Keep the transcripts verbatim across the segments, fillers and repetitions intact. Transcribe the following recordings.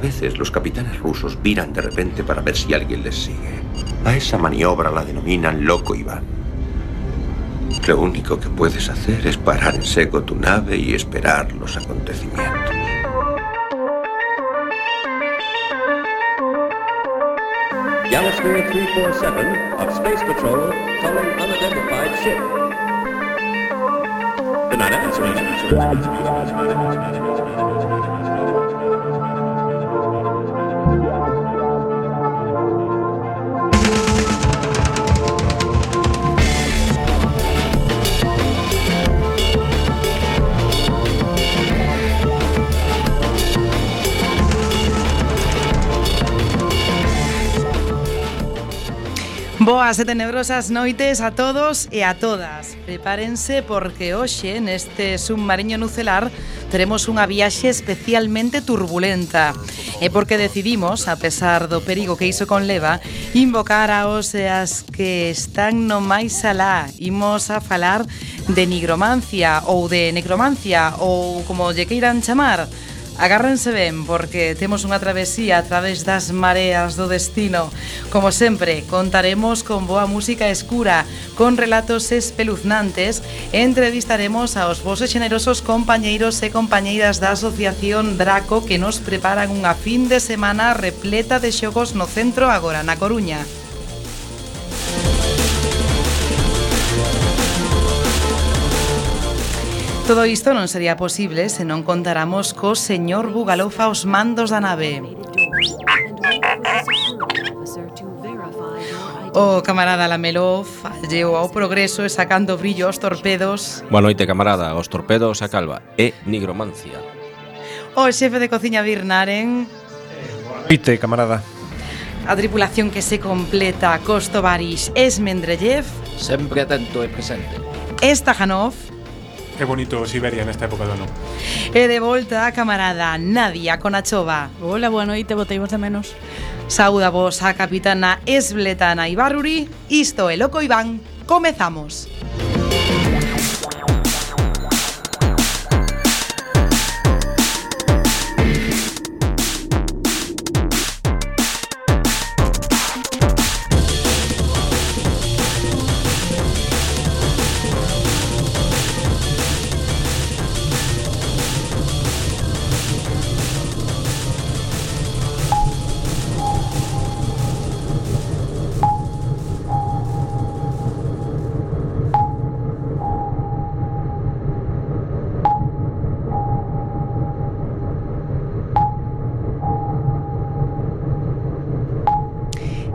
veces los capitanes rusos viran de repente para ver si alguien les sigue. A esa maniobra la denominan Loco Iván. Lo único que puedes hacer es parar en seco tu nave y esperar los acontecimientos. Galasphere three forty-seven of Space Patrol calling unidentified ship. Good night, Boas e tenebrosas noites a todos e a todas. Prepárense porque hoxe neste submarino nucelar teremos unha viaxe especialmente turbulenta. E porque decidimos, a pesar do perigo que iso conleva, invocar aos e as que están no máis alá. Imos a falar de nigromancia ou de necromancia ou como lle queiran chamar. Agárrense ben porque temos unha travesía a través das mareas do destino. Como sempre, contaremos con boa música escura, con relatos espeluznantes e entrevistaremos aos vosos xenerosos compañeiros e compañeiras da Asociación Draco que nos preparan unha fin de semana repleta de xogos no centro agora na Coruña. Todo isto non sería posible se non contáramos co señor Bugalofa aos mandos da nave. O camarada Lamelov alleo ao progreso e sacando brillo aos torpedos. Boa noite, camarada, aos torpedos a calva e nigromancia. O xefe de cociña Birnaren. Boa noite, camarada. A tripulación que se completa Kostovaris Esmendrellev. Sempre atento e presente. Stajanov. Que bonito Siberia nesta época do ano. E de volta a camarada Nadia Konachova. Hola, boa noite, boteivos de menos. Saúda vos a capitana Esbletana Ibarruri. Isto é Loco Iván. Comezamos.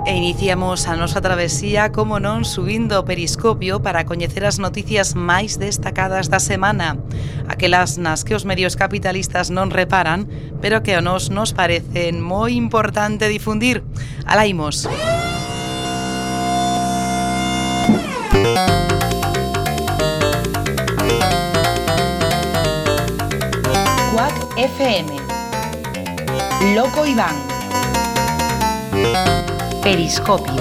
E iniciamos a nosa travesía, como non, subindo o periscopio para coñecer as noticias máis destacadas da semana. Aquelas nas que os medios capitalistas non reparan, pero que a nos nos parecen moi importante difundir. Alá imos. Quack F M. Loco Iván. Periscopio.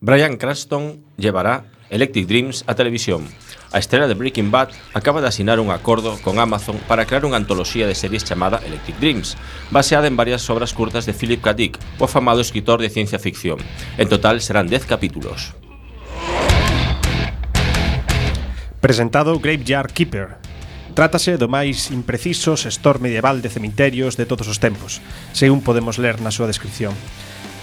Bryan Cranston llevará Electric Dreams a televisión. A estrela de Breaking Bad acaba de asinar un acordo con Amazon para crear unha antoloxía de series chamada Electric Dreams, baseada en varias obras curtas de Philip K. Dick, o afamado escritor de ciencia ficción. En total serán dez capítulos. Presentado Graveyard Keeper. Trátase do máis impreciso xestor medieval de cemiterios de todos os tempos, según podemos ler na súa descripción.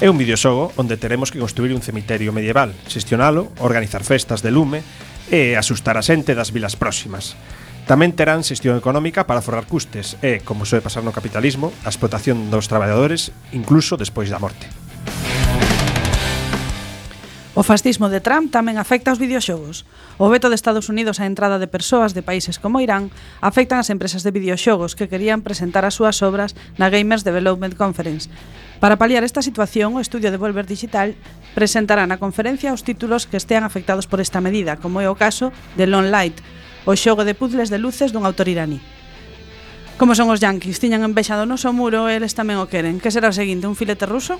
É un videoxogo onde teremos que construir un cemiterio medieval, xestionalo, organizar festas de lume e asustar a xente das vilas próximas. Tamén terán xestión económica para forrar custes e, como soe pasar no capitalismo, a explotación dos traballadores incluso despois da morte. O fascismo de Trump tamén afecta aos videoxogos. O veto de Estados Unidos á entrada de persoas de países como Irán afectan as empresas de videoxogos que querían presentar as súas obras na Gamers Development Conference. Para paliar esta situación, o estudio de Volver Digital presentará na conferencia os títulos que estean afectados por esta medida, como é o caso de Lone Light, o xogo de puzzles de luces dun autor iraní. Como son os yanquis, tiñan envexado no noso muro e eles tamén o queren. Que será o seguinte, un filete ruso?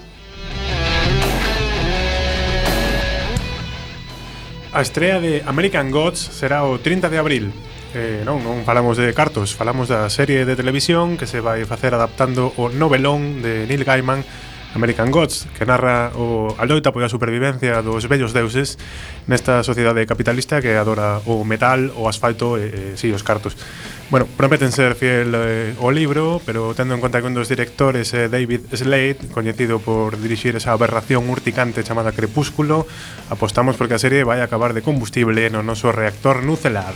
A estrea de American Gods será o trinta de abril. eh, non, non falamos de cartos, falamos da serie de televisión que se vai facer adaptando o novelón de Neil Gaiman, American Gods, que narra o a loita pola supervivencia dos vellos deuses nesta sociedade capitalista que adora o metal, o asfalto e, e si, os cartos. Bueno, prometen ser fiel eh, ao libro, pero tendo en conta que un dos directores é David Slade, coñecido por dirixir esa aberración urticante chamada Crepúsculo, apostamos porque a serie vai acabar de combustible no noso reactor nucelar.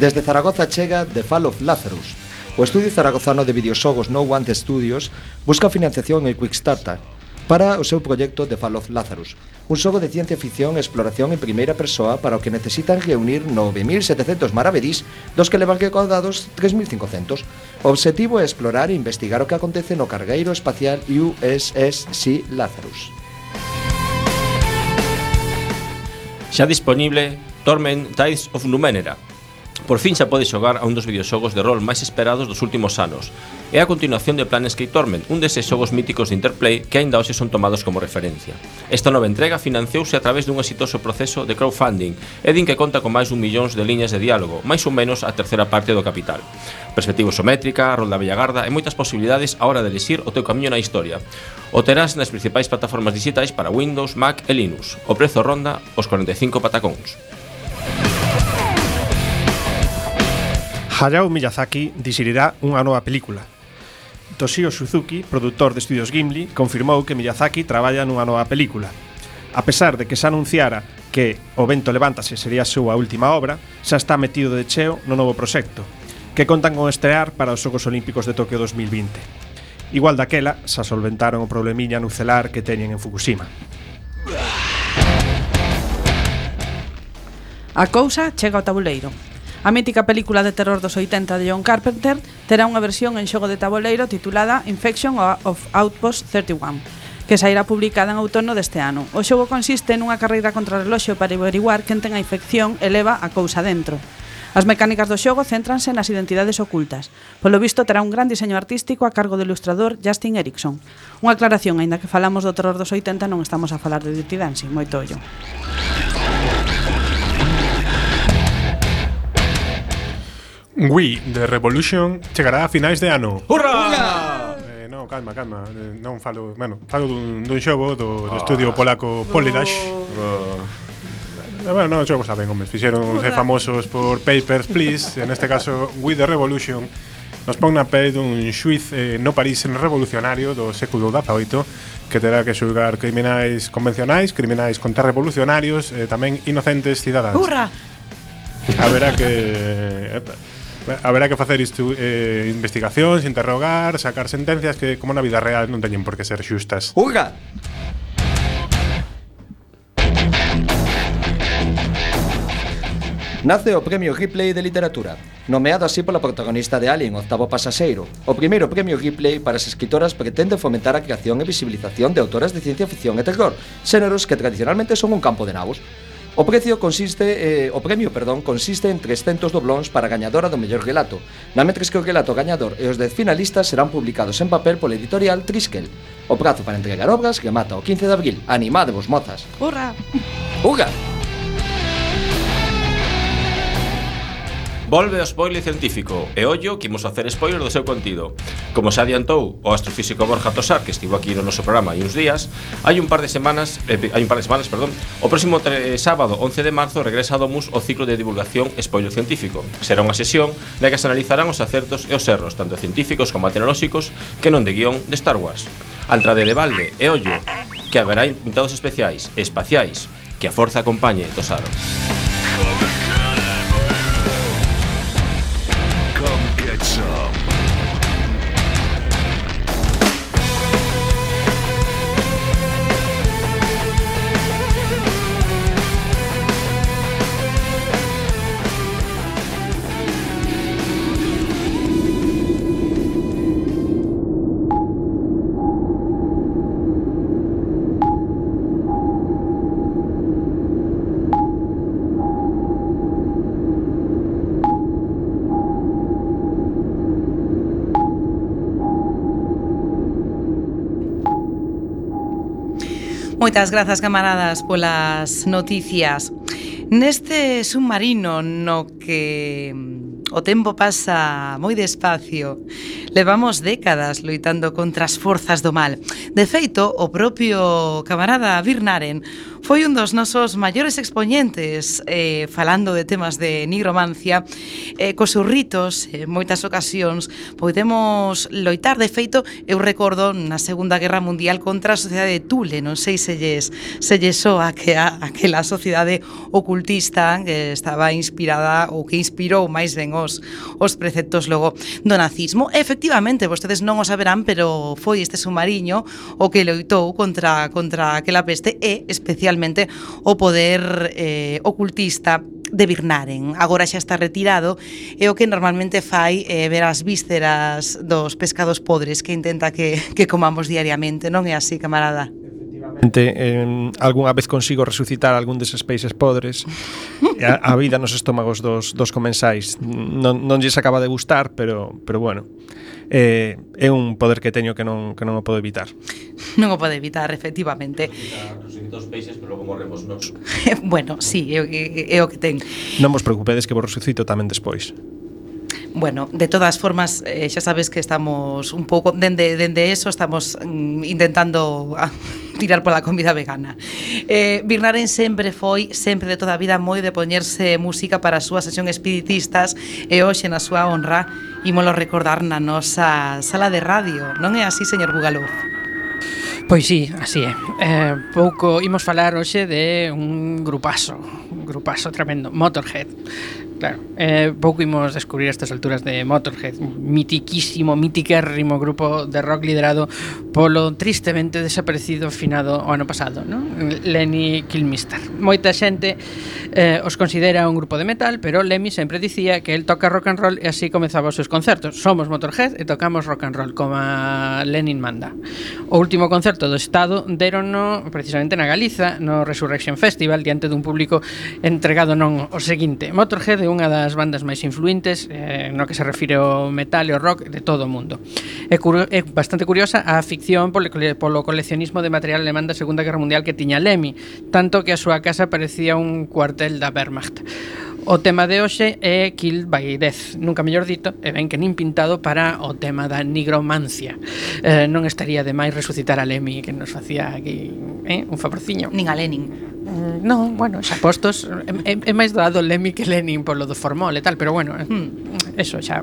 Desde Zaragoza chega The Fall of Lazarus. O estudio zaragozano de videoxogos No One Studios busca financiación en Quickstarter para o seu proxecto The Fall of Lazarus, un xogo de ciencia ficción e exploración en primeira persoa para o que necesitan reunir nove mil setecentos maravedís, dos que levan recaudados tres mil cincocentos. O obxectivo é explorar e investigar o que acontece no cargueiro espacial U S S C Lazarus. Xa disponible Torment Tides of Numenera. Por fin xa pode xogar a un dos videoxogos de rol máis esperados dos últimos anos. É a continuación de Planescape Torment, un deses xogos míticos de Interplay que aínda hoxe son tomados como referencia. Esta nova entrega financiouse a través dun exitoso proceso de crowdfunding e din que conta con máis dun millóns de liñas de diálogo, máis ou menos a terceira parte do capital. Perspectiva isométrica, rol da bella garda e moitas posibilidades a hora de elixir o teu camiño na historia. O terás nas principais plataformas digitais para Windows, Mac e Linux. O prezo ronda os cuarenta e cinco patacóns. Hayao Miyazaki dixerirá unha nova película. Toshio Suzuki, produtor de Estudios Ghibli, confirmou que Miyazaki traballa nunha nova película. A pesar de que se anunciara que O vento levántase sería a súa última obra, xa está metido de cheo no novo proxecto, que contan con estrear para os Xogos Olímpicos de Tokio dos mil vinte. Igual daquela, xa solventaron o problemiña nucelar que teñen en Fukushima. A cousa chega ao tabuleiro. A mítica película de terror dos oitenta de John Carpenter terá unha versión en xogo de tabuleiro titulada Infection of Outpost trinta e un, que sairá publicada en outono deste ano. O xogo consiste nunha carreira contra o reloxo para averiguar quen ten a infección e leva a cousa dentro. As mecánicas do xogo céntranse nas identidades ocultas. Polo visto terá un gran diseño artístico a cargo do ilustrador Justin Erickson. Unha aclaración, aínda que falamos do terror dos oitenta, non estamos a falar de Dirty Dancing, moito ollo. Wii The Revolution chegará a finais de ano. Hurra! Eh, non, calma, calma. Eh, non falo, bueno, falo dun, dun xogo do, do estudio polaco Polydash. Oh. Eh, bueno, non, xogos saben, homes, fixeron ser famosos por Papers, Please. En este caso, Wii The Revolution nos pon na pei dun xuiz eh, no París revolucionario do século dezaoito que terá que xulgar criminais convencionais, criminais contrarrevolucionarios e eh, tamén inocentes cidadáns. Hurra! Haberá que haberá que facer isto, eh, investigacións, interrogar, sacar sentencias que como na vida real non teñen por que ser xustas. Uga! Nace o Premio Ripley de Literatura, nomeado así pola protagonista de Alien, Octavo Pasaxeiro. O primeiro Premio Ripley para as escritoras pretende fomentar a creación e visibilización de autoras de ciencia ficción e terror, xéneros que tradicionalmente son un campo de nabos. O precio consiste eh, o premio, perdón, consiste en trescentos doblóns para a gañadora do mellor relato, namentres que o relato gañador e os dez finalistas serán publicados en papel pola editorial Triskel. O prazo para entregar obras remata o quince de abril. Animadevos, mozas. Hurra! Uga! Volve o spoiler científico e ollo que imos facer spoiler do seu contido. Como se adiantou o astrofísico Borja Tosar, que estivo aquí no noso programa hai uns días, hai un par de semanas, eh, hai un par de semanas, perdón, o próximo tre- sábado once de marzo regresa a Domus o ciclo de divulgación spoiler científico. Será unha sesión na que se analizarán os acertos e os erros, tanto científicos como tecnolóxicos, que non de guión de Star Wars. A entrade de balde e ollo, que haberá invitados especiais e espaciais, que a forza acompañe, Tosar. Moitas grazas, camaradas, polas noticias. Neste submarino no que o tempo pasa moi despacio, levamos décadas loitando contra as forzas do mal. De feito, o propio camarada Birnaren foi un dos nosos maiores expoñentes eh, falando de temas de nigromancia. Eh, cos seus ritos, en moitas ocasións, podemos loitar. De feito, eu recordo na Segunda Guerra Mundial contra a sociedade de Thule. Non sei se lles, se lles soa que a, aquela sociedade ocultista que estaba inspirada ou que inspirou máis ben os, os preceptos logo do nazismo. Efectivamente, vostedes non o saberán, pero foi este submarino o que loitou contra, contra aquela peste e especialmente o poder eh, ocultista de Birnaren. Agora xa está retirado e o que normalmente fai é ver as vísceras dos pescados podres que intenta que, que comamos diariamente. Non é así, camarada? Eh, algunha vez consigo resucitar algún deses peixes podres e a, a vida nos estómagos dos, dos comensais non, non lles acaba de gustar, pero, pero bueno, eh, é un poder que teño que non, que non o podo evitar. Non o pode evitar, efectivamente. Resucita os peixes, pero logo morremos nós. Bueno, sí, é, é, é o que ten. Non vos preocupedes que vos resucito tamén despois. Bueno, de todas formas, eh, xa sabes que estamos un pouco dende, dende eso, estamos mm, intentando a, tirar pola comida vegana. Eh, Birnaren sempre foi, sempre de toda a vida, moi de poñerse música para a súa sesión espiritistas e hoxe na súa honra ímolo recordar na nosa sala de radio. Non é así, señor Bugalov? Pois sí, así é. Eh, pouco imos falar hoxe de un grupazo, un grupazo tremendo, Motorhead. Claro, eh, pouco imos descubrir a estas alturas de Motorhead, mitiquísimo, mitiquérrimo grupo de rock liderado polo tristemente desaparecido finado o ano pasado, ¿no? Lemmy Kilmister. Moita xente eh, os considera un grupo de metal, pero Lemmy sempre dicía que el toca rock and roll e así comezaba os seus concertos. Somos Motorhead e tocamos rock and roll, como a Lenin manda. O último concerto do Estado derono precisamente na Galiza, no Resurrection Festival, diante dun público entregado non o seguinte: Motorhead é unha das bandas máis influentes eh, no que se refire ao metal e ao rock de todo o mundo. É, é bastante curiosa a afición polo, polo coleccionismo de material alemán da Segunda Guerra Mundial que tiña Lemmy, tanto que a súa casa parecía un cuartel da Wehrmacht. O tema de hoxe é Killed by Death, nunca mellor dito, e ben que nin pintado para o tema da nigromancia. Eh, non estaría de máis resucitar a Lemmy, que nos facía aquí eh, un favorciño. Nin a Lenin. Mm, non, bueno, xa postos, é, é máis doado Lemmy que Lenin polo do formol e tal, pero bueno, hmm. eso xa...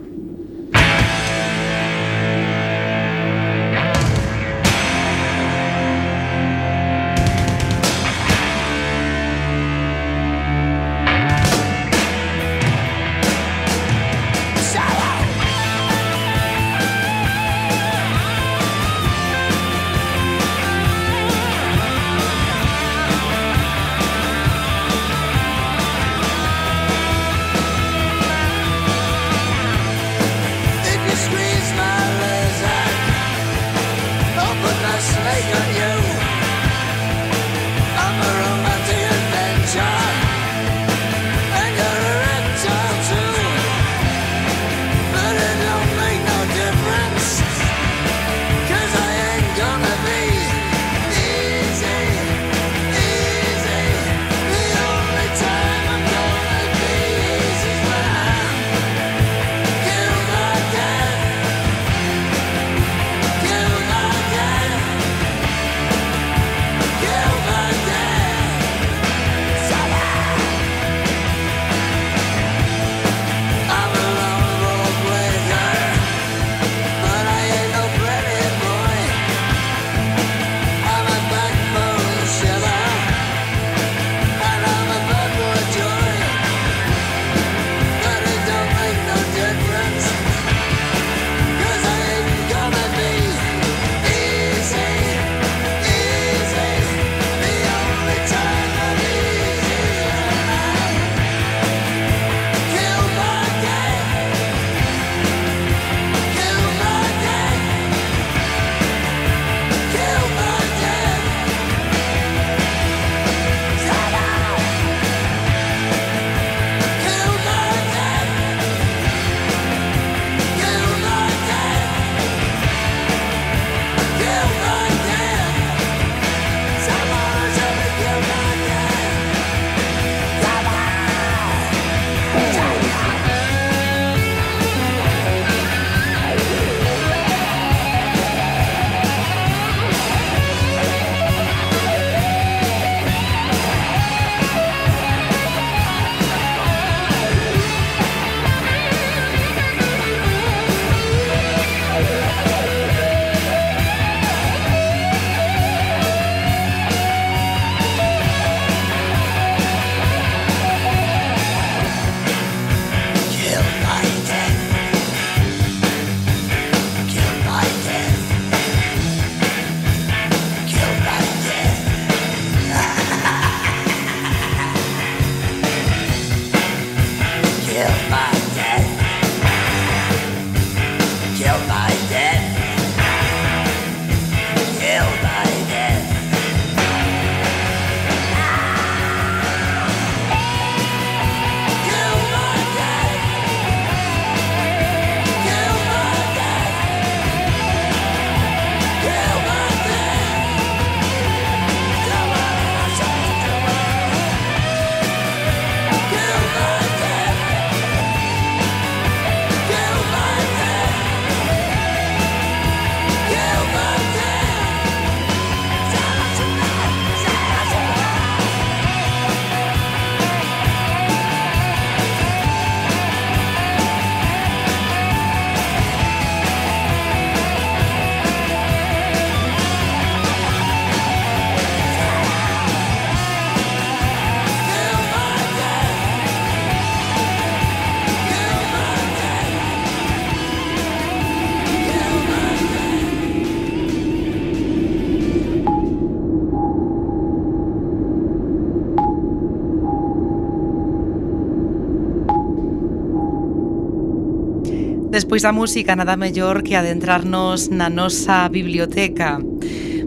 Despois da música, nada mellor que adentrarnos na nosa biblioteca.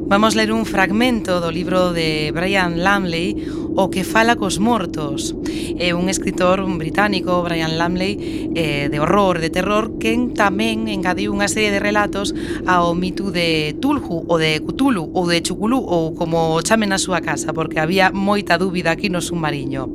Vamos ler un fragmento do libro de Brian Lumley, O que fala cos mortos. É un escritor un británico, Brian Lumley, eh, de horror, de terror, quen tamén engadiu unha serie de relatos ao mito de Tulhu, ou de Cthulhu, ou de Chuculú, ou como chamen na súa casa, porque había moita dúbida aquí no submarino.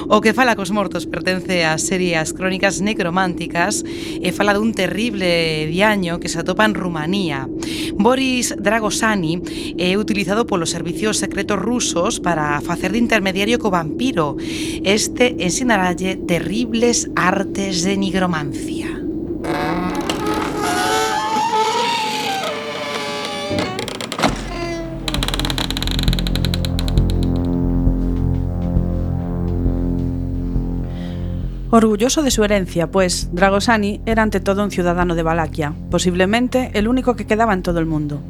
O que fala cos mortos pertence á serie As Crónicas Necrománticas e fala dun terrible diaño que se atopa en Rumanía. Boris Dragosani é utilizado polos servicios secretos rusos para facer de intermediario co vampiro. Este ensinaralle terribles artes de nigromancia. Orgulloso de su herencia, pues Dragosani era ante todo un ciudadano de Valaquia, posiblemente el único que quedaba en todo el mundo.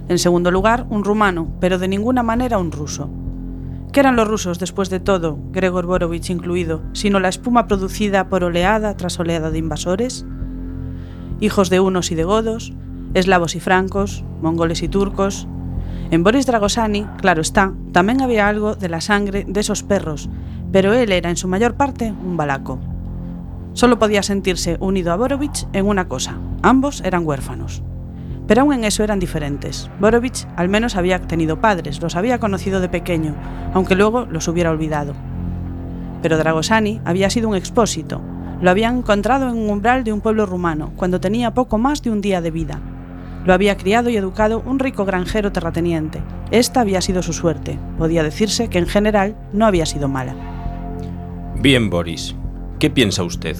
En segundo lugar, un rumano, pero de ninguna manera un ruso. ¿Qué eran los rusos, después de todo, Gregor Borovich incluido, sino la espuma producida por oleada tras oleada de invasores? Hijos de hunos y de godos, eslavos y francos, mongoles y turcos. En Boris Dragosani, claro está, también había algo de la sangre de esos perros, pero él era en su mayor parte un valaco. Solo podía sentirse unido a Borovich en una cosa: ambos eran huérfanos. Pero aún en eso eran diferentes. Borovich al menos había tenido padres, los había conocido de pequeño, aunque luego los hubiera olvidado. Pero Dragosani había sido un expósito. Lo habían encontrado en un umbral de un pueblo rumano, cuando tenía poco más de un día de vida. Lo había criado y educado un rico granjero terrateniente. Esta había sido su suerte. Podía decirse que en general no había sido mala. Bien, Boris. ¿Qué piensa usted?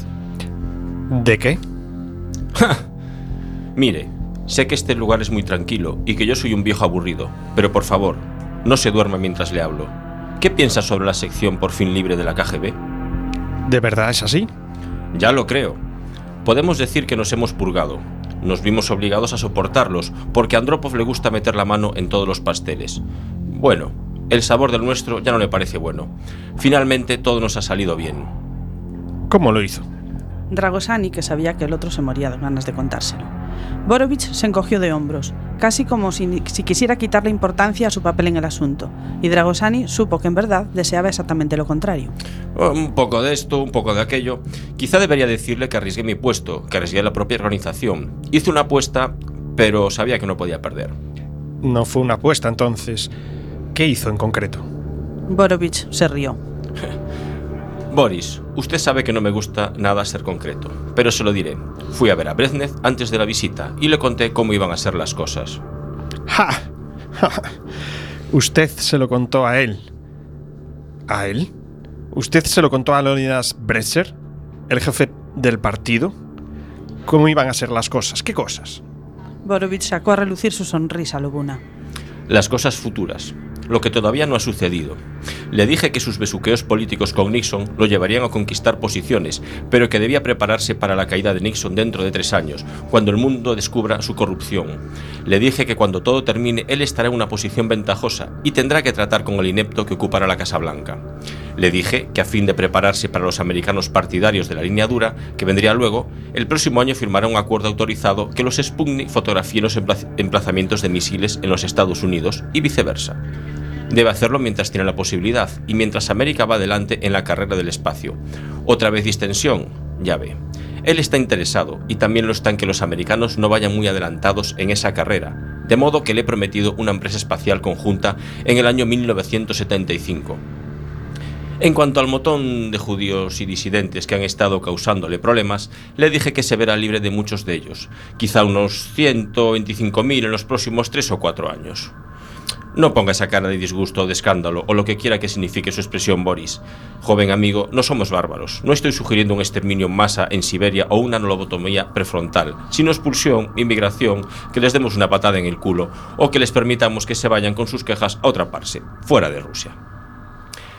¿De qué? ¡Ja! Mire, sé que este lugar es muy tranquilo y que yo soy un viejo aburrido, pero por favor, no se duerma mientras le hablo. ¿Qué piensa sobre la sección por fin libre de la K G B? ¿De verdad es así? Ya lo creo. Podemos decir que nos hemos purgado. Nos vimos obligados a soportarlos, porque a Andropov le gusta meter la mano en todos los pasteles. Bueno, el sabor del nuestro ya no le parece bueno. Finalmente todo nos ha salido bien. ¿Cómo lo hizo? Dragosani, que sabía que el otro se moría de ganas de contárselo. Borovich se encogió de hombros, casi como si, si quisiera quitarle importancia a su papel en el asunto, y Dragosani supo que en verdad deseaba exactamente lo contrario. Un poco de esto, un poco de aquello. Quizá debería decirle que arriesgué mi puesto, que arriesgué la propia organización. Hice una apuesta, pero sabía que no podía perder. No fue una apuesta, entonces. ¿Qué hizo en concreto? Borovich se rió. Boris, usted sabe que no me gusta nada ser concreto, pero se lo diré. Fui a ver a Brezhnev antes de la visita y le conté cómo iban a ser las cosas. ¡Ja! ¡Ja! Usted se lo contó a él. ¿A él? ¿Usted se lo contó a Leonidas Brezer, el jefe del partido? ¿Cómo iban a ser las cosas? ¿Qué cosas? Borovich sacó a relucir su sonrisa lobuna. Las cosas futuras. Lo que todavía no ha sucedido. Le dije que sus besuqueos políticos con Nixon lo llevarían a conquistar posiciones, pero que debía prepararse para la caída de Nixon dentro de tres años, cuando el mundo descubra su corrupción. Le dije que cuando todo termine, él estará en una posición ventajosa y tendrá que tratar con el inepto que ocupará la Casa Blanca. Le dije que a fin de prepararse para los americanos partidarios de la línea dura, que vendría luego, el próximo año firmará un acuerdo autorizado que los Sputnik fotografíen los emplazamientos de misiles en los Estados Unidos y viceversa. Debe hacerlo mientras tiene la posibilidad y mientras América va adelante en la carrera del espacio. Otra vez distensión, ya ve. Él está interesado y también lo está en que los americanos no vayan muy adelantados en esa carrera, de modo que le he prometido una empresa espacial conjunta en el año mil novecientos setenta y cinco. En cuanto al montón de judíos y disidentes que han estado causándole problemas, le dije que se verá libre de muchos de ellos, quizá unos ciento veinticinco mil en los próximos tres o cuatro años. No ponga esa cara de disgusto o de escándalo, o lo que quiera que signifique su expresión, Boris. Joven amigo, no somos bárbaros. No estoy sugiriendo un exterminio en masa en Siberia o una lobotomía prefrontal, sino expulsión, inmigración, que les demos una patada en el culo, o que les permitamos que se vayan con sus quejas a otra parte, fuera de Rusia.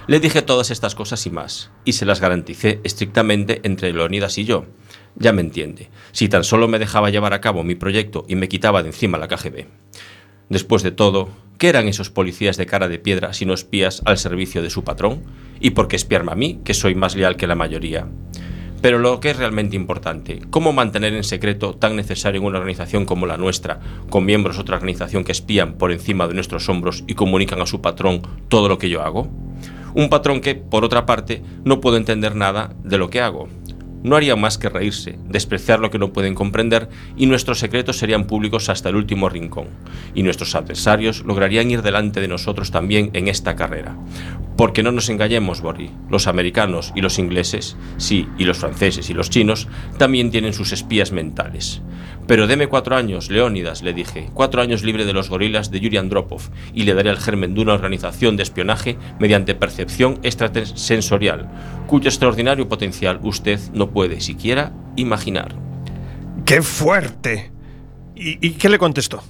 Le dije todas estas cosas y más, y se las garanticé estrictamente entre Leonidas y yo. Ya me entiende, si tan solo me dejaba llevar a cabo mi proyecto y me quitaba de encima la K G B. Después de todo, ¿qué eran esos policías de cara de piedra sino espías al servicio de su patrón? ¿Y por qué espiarme a mí, que soy más leal que la mayoría? Pero lo que es realmente importante, ¿cómo mantener en secreto tan necesario en una organización como la nuestra, con miembros de otra organización que espían por encima de nuestros hombros y comunican a su patrón todo lo que yo hago? Un patrón que, por otra parte, no puede entender nada de lo que hago. No haría más que reírse, despreciar lo que no pueden comprender, y nuestros secretos serían públicos hasta el último rincón. Y nuestros adversarios lograrían ir delante de nosotros también en esta carrera. Porque no nos engañemos, Borri, los americanos y los ingleses, sí, y los franceses y los chinos, también tienen sus espías mentales. Pero deme cuatro años, Leónidas, le dije, cuatro años libre de los gorilas de Yuri Andropov, y le daré el germen de una organización de espionaje mediante percepción extrasensorial, cuyo extraordinario potencial usted no puede siquiera imaginar. ¡Qué fuerte! ¿Y, y qué le contestó?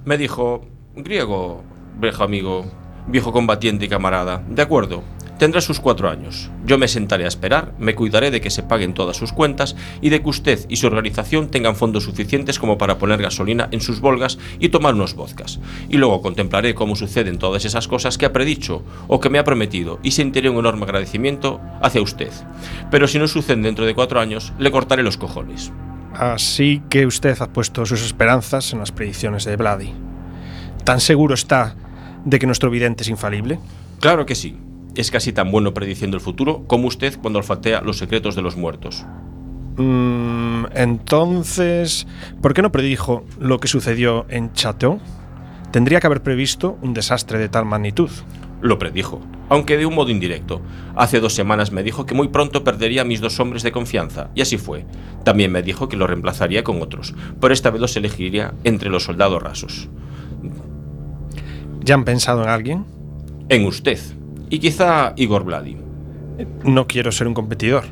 Me dijo, griego, viejo amigo, viejo combatiente y camarada, de acuerdo, tendrá sus cuatro años. Yo me sentaré a esperar, me cuidaré de que se paguen todas sus cuentas y de que usted y su organización tengan fondos suficientes como para poner gasolina en sus Volgas y tomar unos vodkas. Y luego contemplaré cómo suceden todas esas cosas que ha predicho o que me ha prometido y sentiré un enorme agradecimiento hacia usted. Pero si no suceden dentro de cuatro años, le cortaré los cojones. Así que usted ha puesto sus esperanzas en las predicciones de Vladi. ¿Tan seguro está de que nuestro vidente es infalible? Claro que sí. Es casi tan bueno prediciendo el futuro como usted cuando olfatea los secretos de los muertos. Mm, entonces, ¿por qué no predijo lo que sucedió en Chateau? Tendría que haber previsto un desastre de tal magnitud. Lo predijo, aunque de un modo indirecto. Hace dos semanas me dijo que muy pronto perdería a mis dos hombres de confianza, y así fue. También me dijo que lo reemplazaría con otros, pero esta vez los elegiría entre los soldados rasos. ¿Ya han pensado en alguien? En usted. Y quizá Igor Vladi. No quiero ser un competidor.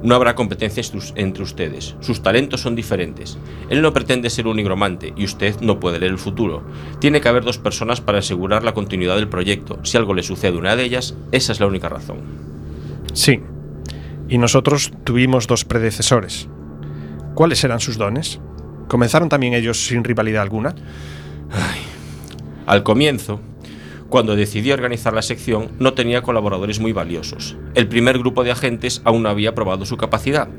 No habrá competencia entre ustedes. Sus talentos son diferentes. Él no pretende ser un nigromante y usted no puede leer el futuro. Tiene que haber dos personas para asegurar la continuidad del proyecto. Si algo le sucede a una de ellas, esa es la única razón. Sí. Y nosotros tuvimos dos predecesores. ¿Cuáles eran sus dones? ¿Comenzaron también ellos sin rivalidad alguna? Ay. Al comienzo, cuando decidí organizar la sección, no tenía colaboradores muy valiosos. El primer grupo de agentes aún no había probado su capacidad.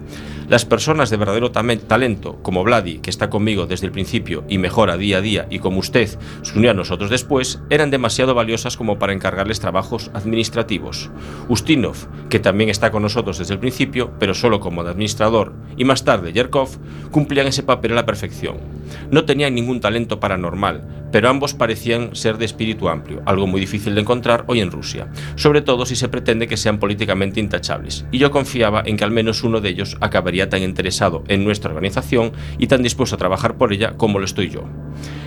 Las personas de verdadero talento, como Vladi, que está conmigo desde el principio y mejora día a día, y como usted se unió a nosotros después, eran demasiado valiosas como para encargarles trabajos administrativos. Ustinov, que también está con nosotros desde el principio, pero solo como administrador, y más tarde Yerkov, cumplían ese papel a la perfección. No tenían ningún talento paranormal, pero ambos parecían ser de espíritu amplio, algo muy difícil de encontrar hoy en Rusia, sobre todo si se pretende que sean políticamente intachables, y yo confiaba en que al menos uno de ellos acabaría tan interesado en nuestra organización y tan dispuesto a trabajar por ella como lo estoy yo.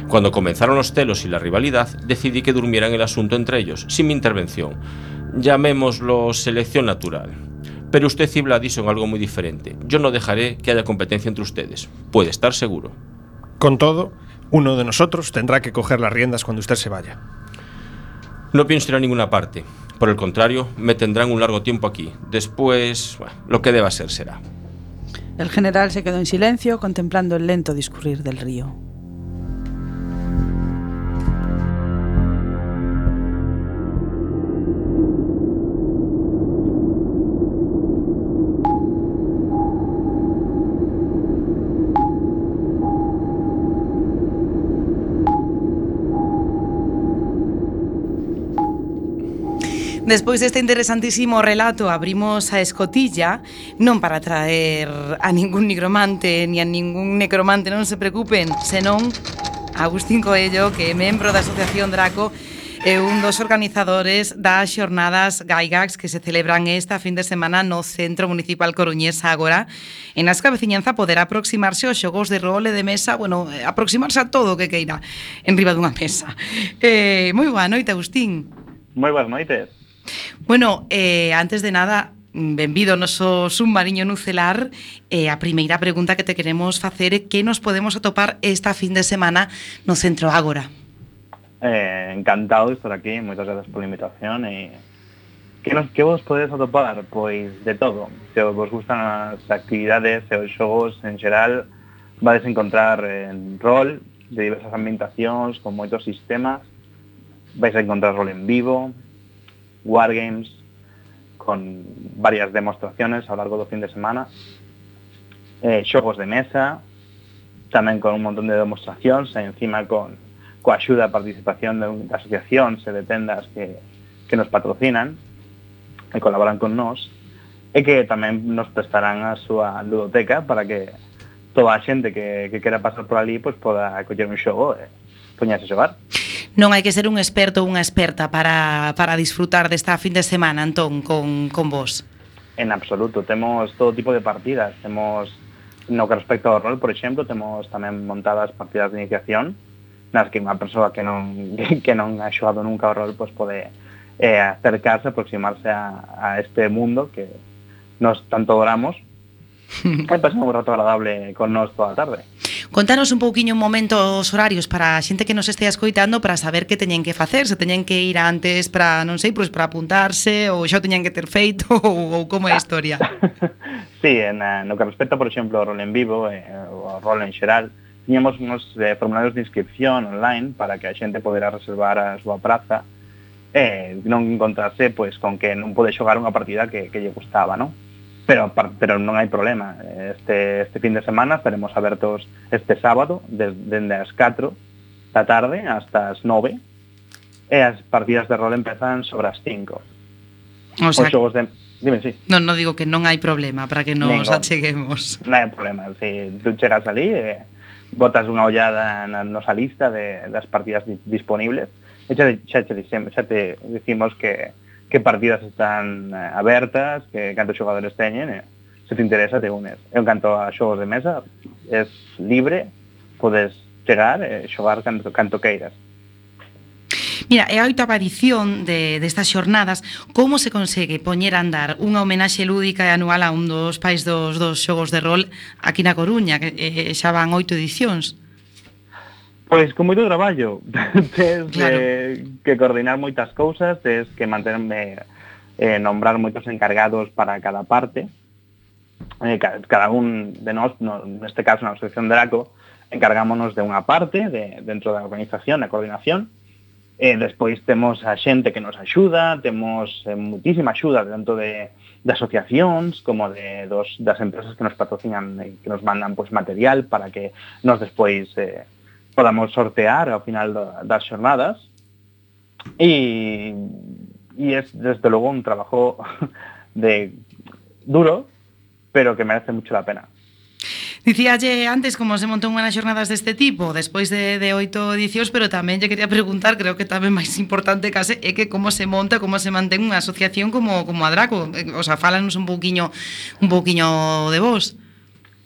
Cuando comenzaron los celos y la rivalidad, decidí que durmieran el asunto entre ellos, sin mi intervención. Llamémoslo selección natural. Pero usted y Vladi son algo muy diferente. Yo no dejaré que haya competencia entre ustedes, puede estar seguro. Con todo, uno de nosotros tendrá que coger las riendas cuando usted se vaya. No pienso ir a ninguna parte. Por el contrario, me tendrán un largo tiempo aquí. Después, bueno, lo que deba ser será. El general se quedó en silencio, contemplando el lento discurrir del río. Despois deste interesantísimo relato abrimos a escotilla, non para traer a ningún nigromante ni a ningún necromante, non se preocupen, senón a Agustín Coello, que é membro da Asociación Draco e un dos organizadores das xornadas Gygax que se celebran esta fin de semana no Centro Municipal Coruñés Ágora, en as que a veciñanza poderá aproximarse aos xogos de rol e de mesa, bueno, aproximarse a todo o que queira en riba dunha mesa. Eh, moi boa noite, Agustín. Moi boas noites. Bueno, eh, antes de nada, benvido ao noso submarino nucelar. eh, A primeira pregunta que te queremos facer é que nos podemos atopar esta fin de semana no Centro Ágora. Eh, encantado de estar aquí, moitas gracias pola invitación. E que, nos, que vos podedes atopar? Pois de todo. Se vos gustan as actividades e os xogos en xeral, vades encontrar en rol de diversas ambientacións con moitos sistemas. Vais a encontrar rol en vivo, wargames, con varias demostraciones ao largo do fin de semana, eh, xogos de mesa, tamén con un montón de demostracións, e encima con coa axuda e participación de, de asociacións e de tendas que, que nos patrocinan e colaboran con nós, e que tamén nos prestarán a súa ludoteca para que toda a xente que, que quera pasar por ali pues, poda coller un xogo e poñerse a xogar. Non hai que ser un experto ou unha experta para, para disfrutar desta fin de semana, Antón, con, con vos. En absoluto, temos todo tipo de partidas. Temos, no que respecto ao rol, por exemplo, temos tamén montadas partidas de iniciación nas que unha persoa que non, que non ha xogado nunca ao rol pues, pode eh, acercarse, aproximarse a, a este mundo que nos tanto adoramos e pasamos un rato agradable con nós toda a tarde. Contanos un pouquiño un momento os horarios para a xente que nos estea escoitando para saber que teñen que facer, se teñen que ir antes para, non sei, pois para apuntarse ou xa teñen que ter feito ou, ou como é a historia. Sí, en, no que respecta, por exemplo, ao rol en vivo eh, ou ao rol en xeral, tiñamos uns eh, formularios de inscripción online para que a xente podera reservar a súa praza e eh, non encontrarse pois, con que non pode xogar unha partida que, que lle gustaba, non? Pero, pero non hai problema. Este, este fin de semana estaremos abertos este sábado desde as catro da tarde hasta as nove e as partidas de rol empezan sobre as cinco. O sea, os xogos de... Dime, sí. Non, non digo que non hai problema para que nos Ningún. acheguemos. Non hai problema. Si tú chegas ali e botas unha ollada na nosa lista de, das partidas di, disponibles e xa, xa, xa, xa te dicimos que, que partidas están eh, abertas, que cantos xogadores teñen, e se te interesa te unes. En canto a xogos de mesa, é libre, podes chegar e xogar canto, canto queiras. Mira, é a oitava edición de, destas xornadas. Como se consegue poñer a andar unha homenaxe lúdica e anual a un dos pais dos, dos xogos de rol aquí na Coruña, que eh, xa van oito edicións? Pois con moito traballo. Tens claro. eh, que coordinar moitas cousas, tens que manterme eh, nombrar moitos encargados para cada parte. Eh, cada un de nós, no, neste caso na Asociación Draco, encargámonos de unha parte de, dentro da organización, da coordinación. E despois temos a xente que nos axuda, temos eh, muitísima axuda tanto de, de asociacións como de dos, das empresas que nos patrocinan e que nos mandan pues, material para que nos despois eh, podamos sortear ao final do, das xornadas. E, e es desde logo un trabajo de duro, pero que merece mucho la pena. Dicíalle antes como se montou unhas xornadas deste tipo despois de, de oito edicións, pero tamén lle quería preguntar, creo que tamén máis importante case é que como se monta, como se mantén unha asociación como, como a Draco. O sea, fálanos un pouquiño un pouquiño de vos.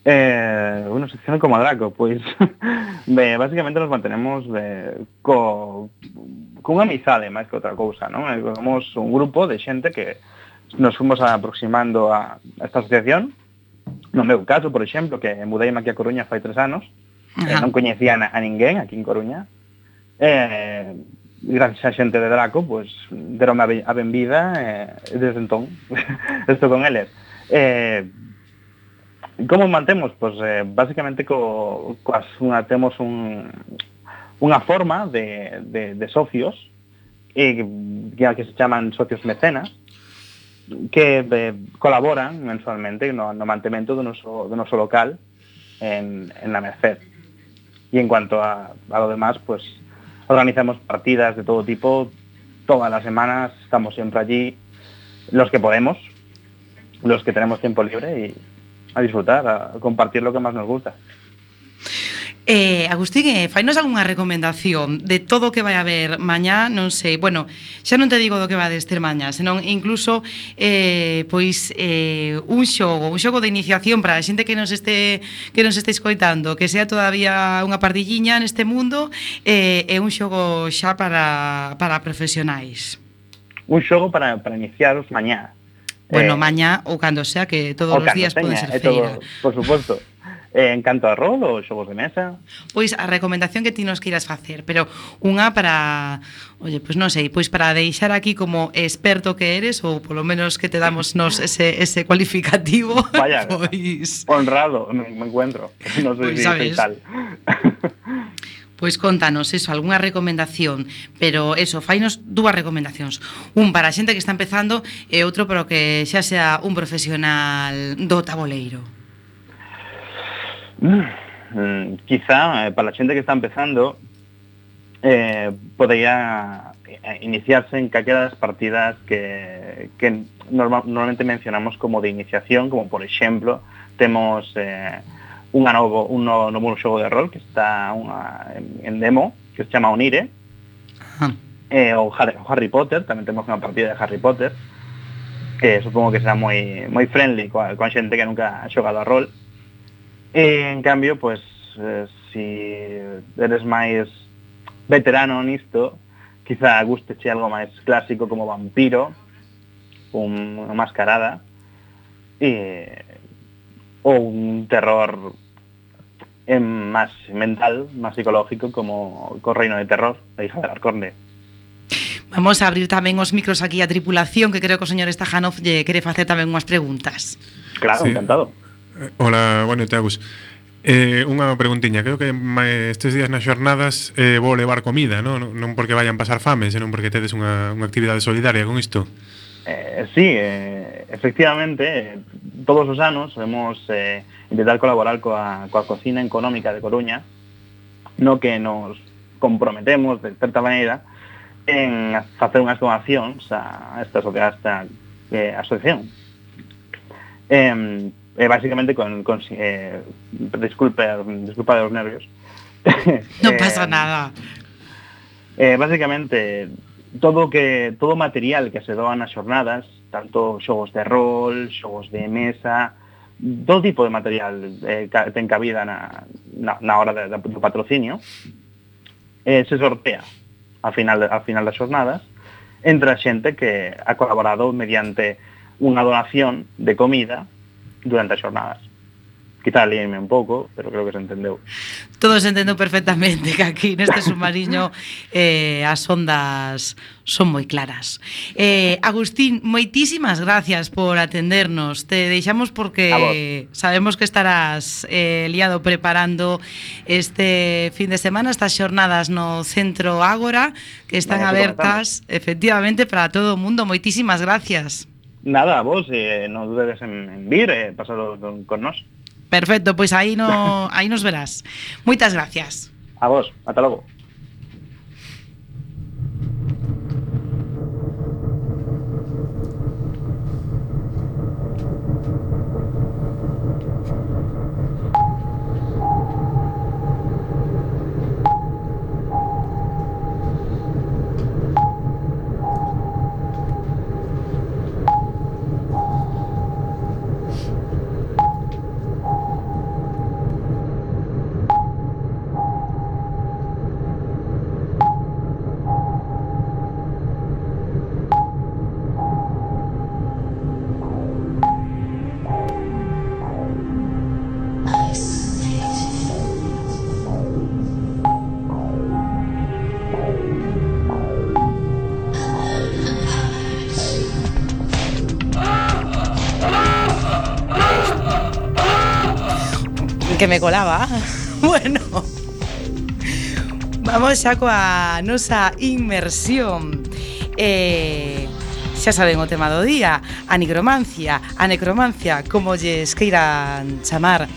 Eh, unha asociación como a Draco, pois pues, basicamente nos mantenemos de, co, con unha amizade máis que outra cousa, non? Somos un grupo de xente que nos fomos aproximando a esta asociación. No meu caso, por exemplo, que mudeime aquí a Coruña fai tres anos, eh, non coñecía a, a ninguén aquí en Coruña, eh, gracias a xente de Draco, pues, deronme a benvida, eh, desde entón, estou con eles. Eh, como mantemos? Pues, eh, basicamente, co, coas, unha, temos un, unha forma de, de, de socios, eh, que, que se chaman socios mecenas, que eh, colaboran mensualmente no, no mantemento do noso, do noso local en, en la Merced. Y en cuanto a, a lo demás, pues organizamos partidas de todo tipo, todas las semanas, estamos siempre allí, los que podemos, los que tenemos tiempo libre y a disfrutar, a compartir lo que más nos gusta. Eh, Agustín, eh, fainos algunha recomendación de todo o que vai haber mañá, non sei, bueno, xa non te digo do que vai ter mañá, senón incluso eh, pois eh, un xogo, un xogo de iniciación para a xente que nos este que nos este escoitando, que sea todavía unha pardilliña neste mundo, eh, e un xogo xa para, para profesionais. Un xogo para, para iniciaros mañá. Bueno, eh, mañá ou cando sea, que todos os días pode ser feira. Todo, por suposto. Eh, en canto a rol ou xogos de mesa? Pois a recomendación que ti nos queiras facer, pero unha para, oye, pois non sei, pois para deixar aquí como experto que eres, ou polo menos que te damos nos ese, ese cualificativo. Vaya, pois... honrado me, me encuentro. Non sei pois, si soy tal. Pois contanos eso, algunha recomendación, pero eso, fainos dúas recomendacións. Un para a xente que está empezando e outro para que xa sea un profesional do taboleiro. Mm, quizá eh, para a xente que está empezando eh, podría iniciarse en calquera das partidas que, que norma, normalmente mencionamos como de iniciación, como por exemplo temos eh, unha novo, un novo, novo xogo de rol que está unha, en, en demo, que se chama Onire. Ah. Eh, o Harry, Harry Potter, tamén temos unha partida de Harry Potter, que supongo que será moi moi friendly coa, coa xente que nunca ha xogado a rol. E, en cambio, pues, eh, si eres máis veterano nisto, quizá gusteche algo máis clásico como Vampiro, un, unha mascarada, e ou un terror en máis mental, máis psicológico, como co Reino de Terror, a hija del Arconde. Vamos a abrir tamén os micros aquí a tripulación, que creo que o señor Stajanov lle quere facer tamén unhas preguntas. Claro, sí. Encantado. Hola, bueno, te Agus. Eh, unha preguntiña, creo que estes días nas xornadas eh, vou levar comida, non? Non porque vayan pasar fame, senón porque tedes unha, unha actividade solidaria con isto. Eh, sí, eh, efectivamente, eh, todos os anos vemos eh, intentar colaborar coa, coa cocina económica de Coruña, no que nos comprometemos, de certa maneira, en facer unhas donacións a esta, a esta eh, asociación. Eh, eh, básicamente, con, con eh, disculpe, disculpa de los nervios. No eh, pasa nada. Eh, básicamente, todo que todo material que se doa nas xornadas, tanto xogos de rol, xogos de mesa, todo tipo de material eh, ten cabida na, na, na hora de, de, do patrocinio, eh, se sortea ao final, ao final das xornadas entre a xente que ha colaborado mediante unha donación de comida durante as xornadas. Quizá líenme un pouco, pero creo que se entendeu. Todo se entendeu perfectamente, que aquí neste submarino eh, as ondas son moi claras. Eh, Agustín, moitísimas gracias por atendernos. Te deixamos porque sabemos que estarás eh, liado preparando este fin de semana, estas xornadas no Centro Ágora, que están no, abertas efectivamente para todo o mundo. Moitísimas gracias. Nada, vos, eh, non dudes en, en vir, eh, pasado con, con nós. Perfecto, pois aí no aí nos verás. Moitas gracias. A vos, ata logo. Que me colaba. Bueno, vamos xa coa nosa inmersión. Eh, xa saben o tema do día, a nigromancia, a necromancia, como lles queiran chamar.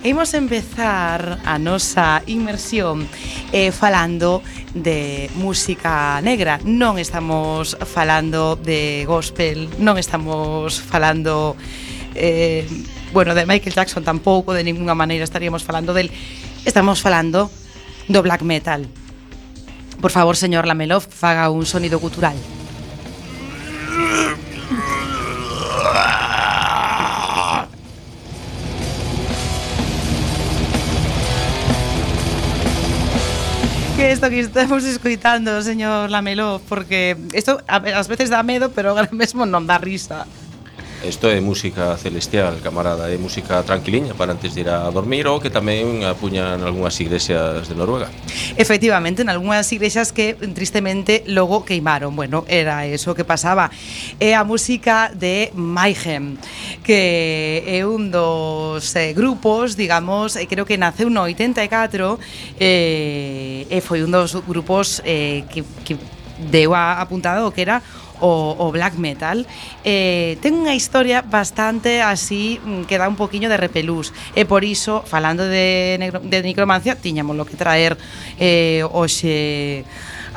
E imos empezar a nosa inmersión eh, falando de música negra. Non estamos falando de gospel, non estamos falando... Eh, bueno, de Michael Jackson tampouco, de ninguna maneira estaríamos falando del. Estamos falando do black metal. Por favor, señor Lamelov, faga un sonido gutural. Que isto que estamos escoitando, señor Lamelov, porque isto ás veces dá medo, pero agora mesmo non dá risa. Isto é música celestial, camarada, é música tranquiliña para antes de ir a dormir ou que tamén apuñan algunhas iglesias de Noruega. Efectivamente, en algunhas iglesias que tristemente logo queimaron. Bueno, era eso que pasaba. É a música de Mayhem, que é un dos eh, grupos, digamos, eh, creo que naceu no oitenta e catro eh, e foi un dos grupos eh, que, que deu a apuntado que era O, o black metal. eh, ten unha historia bastante así que dá un poquiño de repelús, e por iso, falando de, negro, de necromancia, tiñamos lo que traer eh, hoxe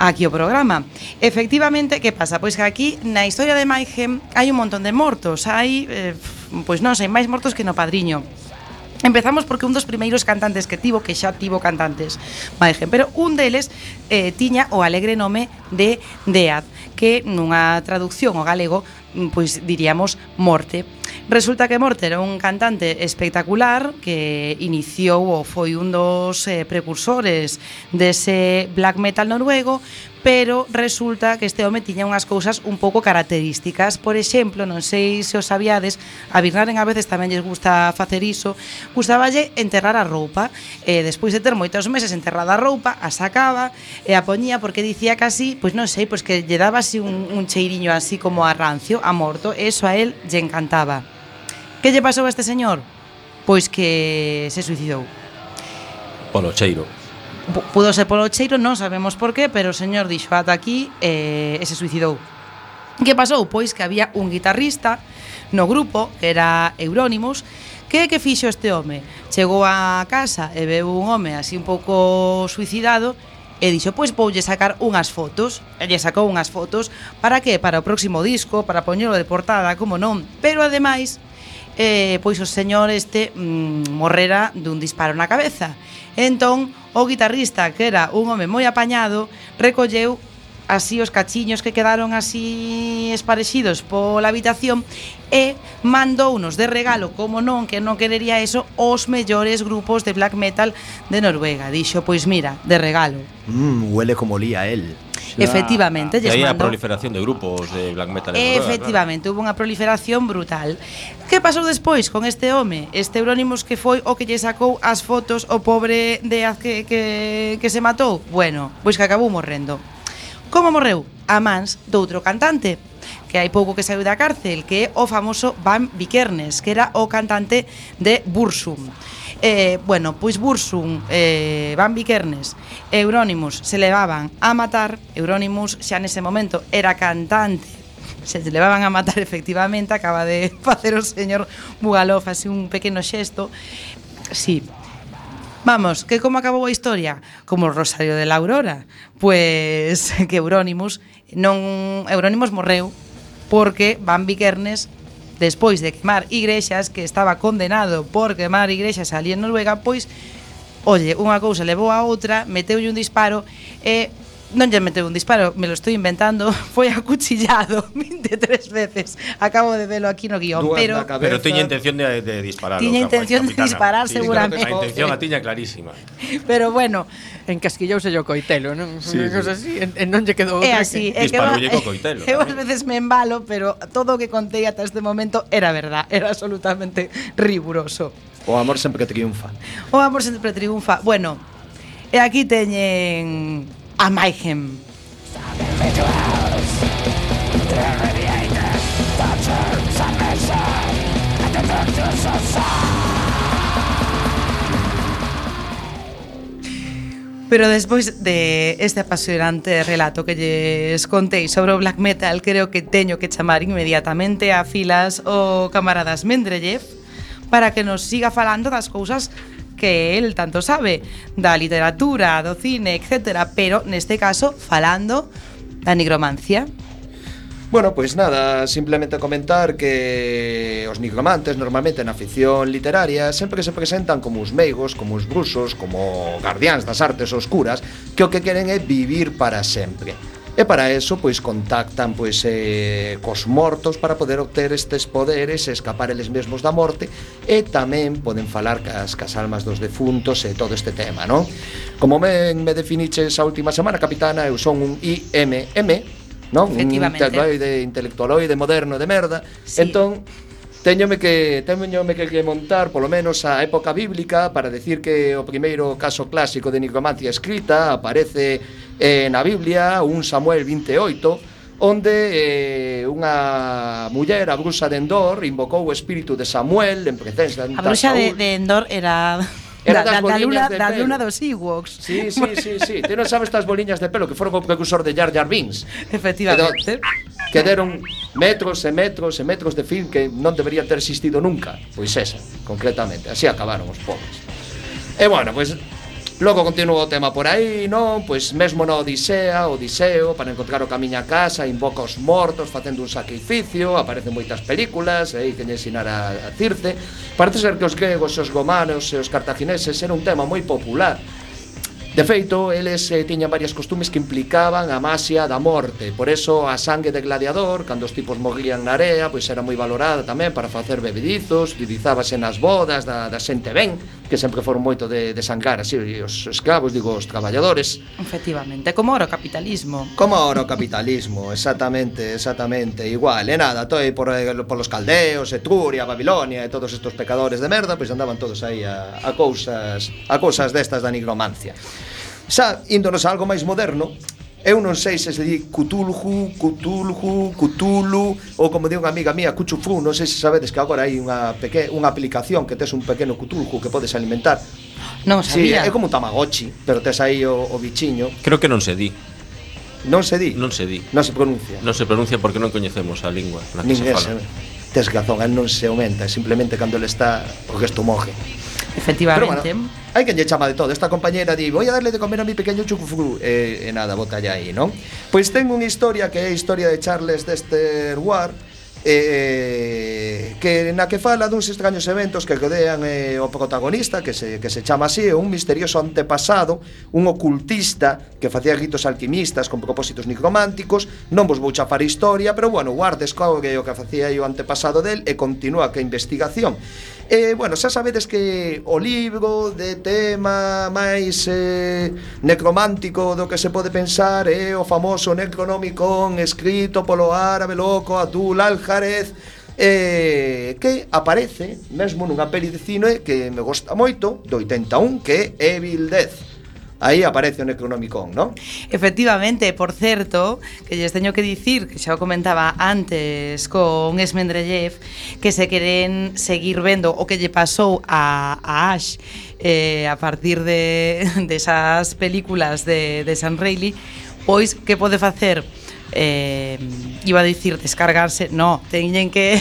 aquí o programa. Efectivamente, que pasa? Pois que aquí na historia de Mayhem hai un montón de mortos, hai eh, pois non sei, máis mortos que no Padriño. Empezamos porque un dos primeiros cantantes que tivo, que xa tivo cantantes Mayhem, pero un deles eh, tiña o alegre nome de Death, que nunha traducción ao galego pois diríamos morte. Resulta que Morte era un cantante espectacular que iniciou ou foi un dos eh, precursores dese black metal noruego, pero resulta que este home tiña unhas cousas un pouco características. Por exemplo, non sei se os sabíades, a Birnaren a veces tamén lles gusta facer iso, gustaballe enterrar a roupa, e despois de ter moitos meses enterrada a roupa, a sacaba e a poñía porque dicía casi, pois non sei, pois que lle daba así un, un cheiriño así como a rancio, a morto, e eso a él lle encantaba. Que lle pasou a este señor? Pois que se suicidou. Polo cheiro. P- Pudo ser polo cheiro, non sabemos por qué, pero o señor dixo ata aquí e, e se suicidou. Que pasou? Pois que había un guitarrista no grupo, que era Euronymous, que que fixo este home? Chegou a casa e veu un home así un pouco suicidado e dixo, pois voulle sacar unhas fotos. E lle sacou unhas fotos, para que? Para o próximo disco, para poñelo de portada, como non. Pero ademais, eh, pois o señor este mm, morrera dun disparo na cabeza. Entón, o guitarrista, que era un home moi apañado, recolleu así os cachiños que quedaron así esparexidos pola habitación e mandounos de regalo, como non, que non querería eso, os mellores grupos de black metal de Noruega. Dixo, pois mira, de regalo. Mmm, huele como olía él. Efectivamente, E aí a mandou... proliferación de grupos de black metal en Noruega. Efectivamente, claro. Hubo unha proliferación brutal. Que pasou despois con este home? Este Euronymous que foi o que lle sacou as fotos o pobre Deaz que, que, que se matou? Bueno, pois que acabou morrendo. Como morreu? A mans doutro cantante que hai pouco que saiu da cárcel, que é o famoso Van Vikernes, que era o cantante de Bursum. Eh, bueno, pois Bursum, eh, Van Vikernes e Euronymous se levaban a matar. Euronymous xa nese momento era cantante, se levaban a matar efectivamente. Acaba de facer o señor Bugalov así un pequeno xesto. Sí. Vamos, que como acabou a historia? Como o Rosario de la Aurora. Pois que Euronymous non Euronymous morreu porque Van Vikernes, despois de quemar igrexas, que estaba condenado por quemar igrexas ali en Noruega, pois, oye, unha cousa levou a outra, meteulle un disparo e non lle meteu un disparo, me lo estou inventando, foi acuchillado vinte e tres veces. Acabo de velo aquí no guión, pero pero tiña intención de, de disparar. Tiña intención de disparar, sí, seguramente. A intención a tiña clarísima. Pero bueno, encasquillouse o coitelo, non? Sí, Unha cosa así, en, en non lle quedou é outra así, que... é que Disparoulle co coitelo. Eu ás veces me embalo, pero todo o que contei ata este momento era verdad, era absolutamente riguroso. O amor sempre triunfa. O amor sempre triunfa. Bueno, e aquí teñen a Mayhem. Pero despois de este apasionante relato que lles contei sobre o black metal, creo que teño que chamar inmediatamente a filas o camaradas Mendeleev para que nos siga falando das cousas que el tanto sabe, da literatura, do cine, etcétera, pero neste caso falando da nigromancia. Bueno, pois nada, simplemente comentar que os nigromantes normalmente na ficción literaria sempre se presentan como os meigos, como os bruxos, como guardiáns das artes oscuras, que o que queren é vivir para sempre. E para eso, pois, contactan pois, eh, cos mortos para poder obter estes poderes e escapar eles mesmos da morte, e tamén poden falar cas, cas almas dos defuntos e todo este tema, non? Como me, me definiches a última semana, capitana, eu son un I M M, non? Un intelectualoide, intelectualoide moderno de merda. Sí. Entón, Téñome que téñome que montar polo menos a época bíblica para decir que o primeiro caso clásico de nigromancia escrita aparece eh, na Biblia, un Samuel veintioito, onde eh, unha muller, a bruxa de Endor, invocou o espírito de Samuel en presencia A bruxa de, de Endor era... Era da, das da, da, luna, boliñas de da pelo. luna dos Ewoks. Sí, sí, sí, sí. Ti non sabes estas boliñas de pelo que foron o precursor de Jar Jar Binks. Efectivamente. Que deron metros e metros e metros de film que non deberían ter existido nunca. Pois esa, concretamente. Así acabaron os pobres. E bueno, pois logo continúa o tema por aí, non? Pois mesmo na Odisea, Odiseo, para encontrar o camiño a casa, invoca os mortos facendo un sacrificio, aparecen moitas películas, aí que lle ensinar a, a Circe. Parece ser que os gregos, os romanos e os cartagineses era un tema moi popular. De feito, eles eh, tiñan varias costumes que implicaban a maxia da morte. Por eso a sangue de gladiador, cando os tipos morrían na area, pois era moi valorada tamén para facer bebedizos, utilizábase nas bodas da, da xente ben, que sempre foron moito de, de sangrar así os escravos, digo, os traballadores. Efectivamente, como ora o capitalismo. Como ora o capitalismo, exactamente, exactamente, igual. E nada, toi por, por los caldeos, Etruria, Babilonia e todos estos pecadores de merda, pois andaban todos aí a, a cousas a cousas destas da nigromancia. Xa, índonos a algo máis moderno, eu non sei se se di Cthulhu, Cthulhu, Cthulhu, ou como di unha amiga mía, Cuchufu, non sei se sabedes que agora hai unha peque, unha aplicación que tes un pequeno Cthulhu que podes alimentar. Non sabía. Sí, é como un Tamagotchi, pero tes aí o, o bichiño. Creo que non se di. Non se di? Non se di. Non se pronuncia. Non se pronuncia porque non coñecemos a lingua na que Nin se fala. Tes razón, el non se aumenta, simplemente cando ele está o gesto moje. Efectivamente. Pero bueno, hai quen lle chama de todo. Esta compañera di, voy a darle de comer a mi pequeño chucufru. E, e nada, bota ya aí, non? Pois ten unha historia que é a historia de Charles Dexter Ward, eh, que na que fala duns extraños eventos que rodean eh, o protagonista, que se, que se chama así, un misterioso antepasado, un ocultista que facía ritos alquimistas con propósitos nigrománticos. Non vos vou chafar a historia, pero bueno, Ward descobre o que facía o antepasado del e continúa ca investigación. E, bueno, xa sabedes que o libro de tema máis eh, necromántico do que se pode pensar é o famoso Necronomicon escrito polo árabe loco Abdul al-Jarez, eh, que aparece mesmo nunha peli de cine que me gosta moito, do oitenta e un, que é Evil Death. Aí aparece o Necronomicon, non? Efectivamente, por certo, que lles teño que dicir, que xa o comentaba antes con Esmendrellev, que se queren seguir vendo o que lle pasou a, a Ash eh, a partir de, de esas películas de, de Sam Raimi, pois que pode facer? Eh, iba a dicir descargarse, no, teñen que...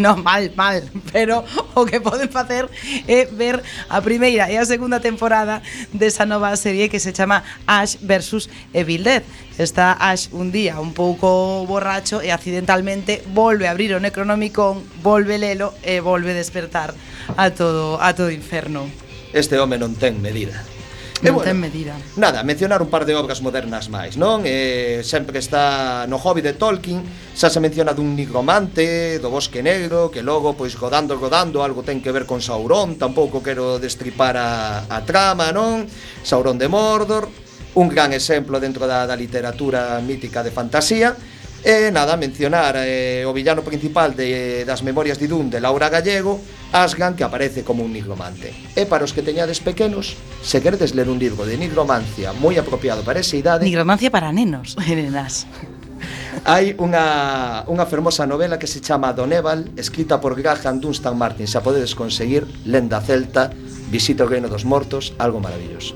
No, mal, mal, pero o que poden facer é ver a primeira e a segunda temporada desa nova serie que se chama Ash versus Evil Dead. Está Ash un día un pouco borracho e accidentalmente volve a abrir o Necronomicon, volve lelo e volve despertar a todo a todo inferno. Este home non ten medida. Non bueno, ten medida. Nada, mencionar un par de obras modernas máis, non? Eh, sempre está no Hobbit de Tolkien, xa se menciona dun nigromante, do Bosque Negro, que logo, pois, rodando, rodando, algo ten que ver con Sauron, tampouco quero destripar a, a trama, non? Sauron de Mordor, un gran exemplo dentro da, da literatura mítica de fantasía. E nada, mencionar eh, o villano principal de, das Memorias de Idún de Laura Gallego, Asgan, que aparece como un nigromante. E para os que teñades pequenos, se queredes ler un libro de nigromancia moi apropiado para esa idade, Nigromancia para nenos e nenas. hai unha, unha fermosa novela que se chama Doneval, escrita por Graham Dunstan Martin. Se a podedes conseguir, lenda celta, visita o reino dos mortos, algo maravilloso.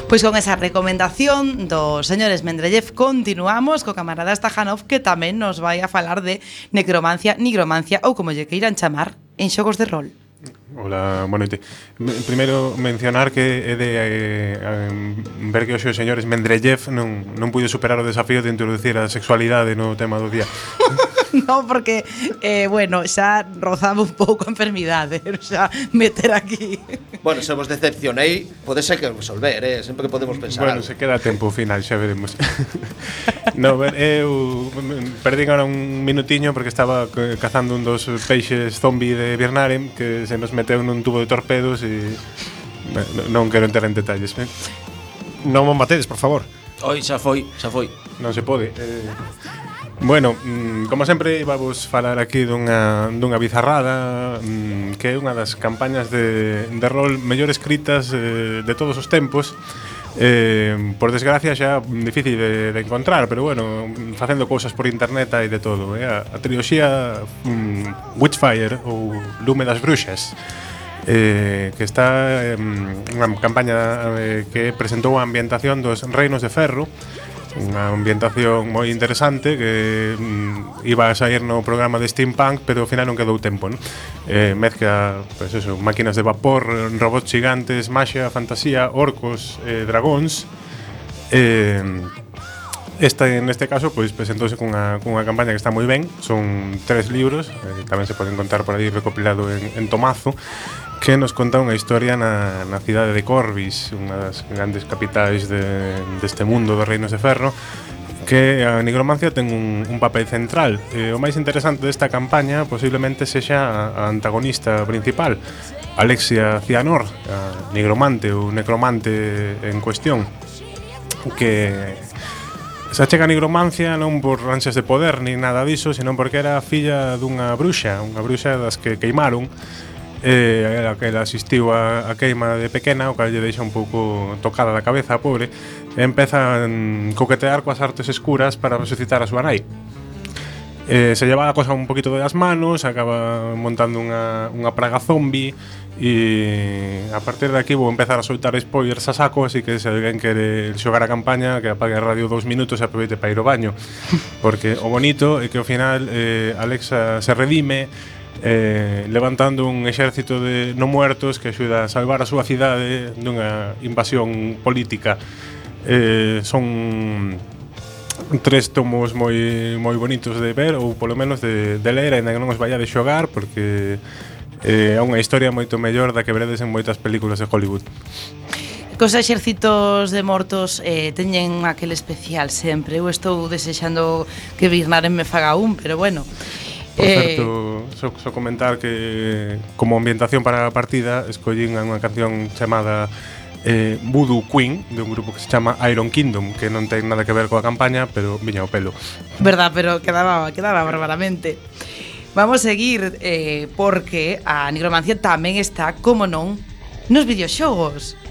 Pois con esa recomendación do señor Esmendrellev continuamos co camarada Stajanov, que tamén nos vai a falar de necromancia, nigromancia ou como lle queiran chamar en xogos de rol. Hola, boa noite. Primeiro mencionar que é de eh, ver que hoxe o señor Esmendrellev non, non puido superar o desafío de introducir a sexualidade no tema do día. No, porque, eh, bueno, xa rozaba un pouco a enfermidade, xa meter aquí. Bueno, se vos decepcionei, pode ser que resolver, eh? Sempre que podemos pensar. Bueno, algo. se queda tempo final, xa veremos. No, ben, eu perdín ahora un minutiño porque estaba cazando un dos peixes zombie de Birnarem que se nos meteu nun tubo de torpedos e non quero entrar en detalles, eh? Non mo matedes, por favor. Oi, xa foi, xa foi. Non se pode. Eh, Bueno, como sempre vamos falar aquí dunha, dunha bizarrada que é unha das campañas de, de rol mellor escritas eh, de todos os tempos. Eh, por desgracia xa difícil de, de encontrar, pero bueno, facendo cousas por internet hai de todo, eh? a, a triloxía um, Witchfire ou Lume das Bruxas, eh, que está eh, unha campaña eh, que presentou a ambientación dos Reinos de Ferro, unha ambientación moi interesante que mm, iba a sair no programa de Steampunk, pero ao final non quedou tempo, non? Eh, mezcla, pues eso, máquinas de vapor, robots gigantes, maxia, fantasía, orcos, eh, dragóns. Eh, esta, en este caso, pois pues, presentouse cunha, cunha campaña que está moi ben. Son tres libros, eh, tamén se poden contar por aí recopilado en, en tomazo, que nos conta unha historia na, na cidade de Corvus, unha das grandes capitais de, deste mundo dos Reinos de Ferro, que a nigromancia ten un, un papel central. Eh, o máis interesante desta campaña posiblemente sexa a, a antagonista principal, Alexia Cianor, a nigromante ou necromante en cuestión, que se achega a nigromancia non por ansias de poder ni nada diso, senón porque era filla dunha bruxa, unha bruxa das que queimaron. Eh, a que ela asistiu a, a queima de pequena, o que lle deixa un pouco tocada da cabeza a pobre, e empeza a coquetear coas artes escuras para resucitar a súa nai. Eh, se lleva a cosa un poquito das manos, acaba montando unha, unha praga zombie, e a partir de aquí vou empezar a soltar spoilers a saco, así que se alguén quere xogar a campaña, que apague a radio dous minutos e aproveite para ir ao baño, porque o bonito é que ao final eh, Alexa se redime, Eh, levantando un exército de no muertos que axuda a salvar a súa cidade dunha invasión política. Eh, son tres tomos moi moi bonitos de ver, ou polo menos de, de ler, ainda que non os vaya de xogar, porque é eh, unha historia moito mellor da que veredes en moitas películas de Hollywood. Cos exércitos de mortos eh, teñen aquel especial sempre. Eu estou desexando que Birnaren me faga un, pero bueno. Por certo, eh, só, só comentar que como ambientación para a partida escollín unha canción chamada eh, Voodoo Queen, de un grupo que se chama Iron Kingdom, que non ten nada que ver coa campaña, pero viña o pelo. Verdad, pero quedaba, quedaba barbaramente. Vamos a seguir eh, porque a nigromancia tamén está, como non, nos videoxogos.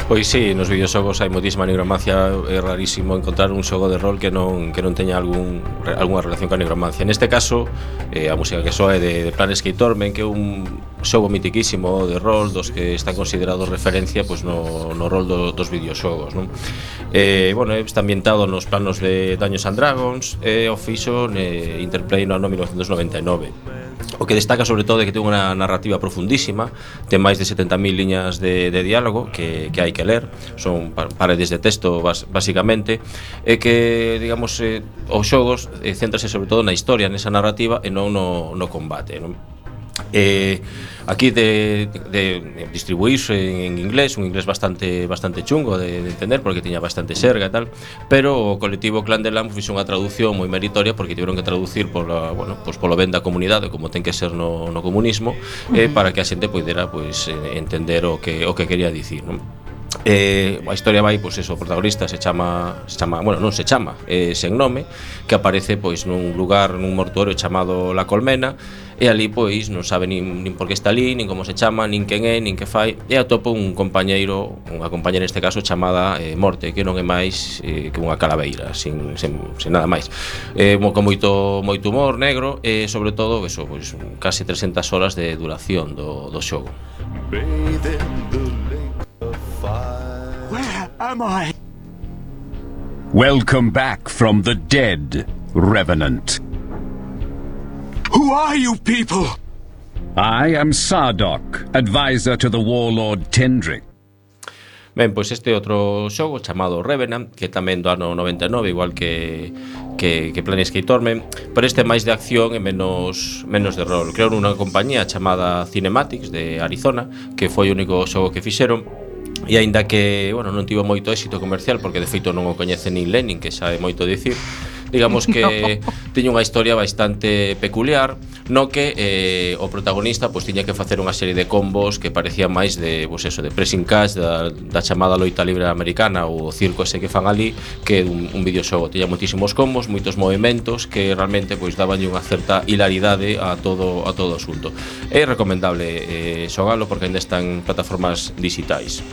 Pois sí, nos videoxogos hai moitísima nigromancia, é rarísimo encontrar un xogo de rol que non que non teña algún algunha relación coa nigromancia. Neste caso, eh, a música que soe de, de Planescape Torment, que é un xogo mitiquísimo de rol dos que están considerados referencia pois no, no rol do, dos videoxogos, non? Eh, bueno, está ambientado nos planos de Dungeons and Dragons e o fixo ne Interplay no ano mil novecentos noventa e nove. O que destaca sobre todo é que ten unha narrativa profundísima, ten máis de setenta mil liñas de, de diálogo que, que hai que ler, son paredes de texto bas, basicamente, e que, digamos, eh, os xogos eh, céntrase sobre todo na historia, nesa narrativa e non no, no combate, non? Eh, aquí de, de, de distribuirse en inglés, un inglés bastante bastante chungo de, de entender porque tiña bastante xerga e tal, pero o colectivo Clan de Lamb fixo unha traducción moi meritoria porque tiveron que traducir pola, bueno, pues polo ben da comunidade, como ten que ser no, no comunismo, eh, para que a xente poidera pues, entender o que, o que quería dicir, non? Eh, a historia vai, pois eso, o protagonista se chama, se chama, bueno, non se chama, eh, sen nome, que aparece pois nun lugar, nun mortuorio chamado La Colmena, e ali pois non sabe nin, nin por que está ali, nin como se chama, nin quen é, nin que fai, e atopa un compañeiro, unha compañera neste caso chamada eh, Morte, que non é máis eh, que unha calaveira, sin, sin, sin nada máis. Eh, con moito moito humor negro e sobre todo eso, pois casi trescentas horas de duración do, do xogo. Where am I? Welcome back from the dead, Revenant. Who are you people? I am Sardok, advisor to the warlord Tendrick. Ben, pois este outro xogo chamado Revenant, que tamén do ano noventa e nove, igual que que, que Planescape Torment, pero este é máis de acción e menos menos de rol. Crearon unha compañía chamada Cinematics de Arizona, que foi o único xogo que fixeron. E aínda que, bueno, non tivo moito éxito comercial porque de feito non o coñece nin Lenin, que xa é moito dicir, digamos que No. tiña unha historia bastante peculiar, no que eh, o protagonista pois tiña que facer unha serie de combos que parecían máis de, pois eso, de pressing catch da, da chamada loita libre americana ou o circo ese que fan ali, que un, un videoxogo. Tiña moitísimos combos, moitos movimentos que realmente pois daban unha certa hilaridade a todo a todo o asunto. É recomendable eh, xogalo porque ainda está en plataformas digitais.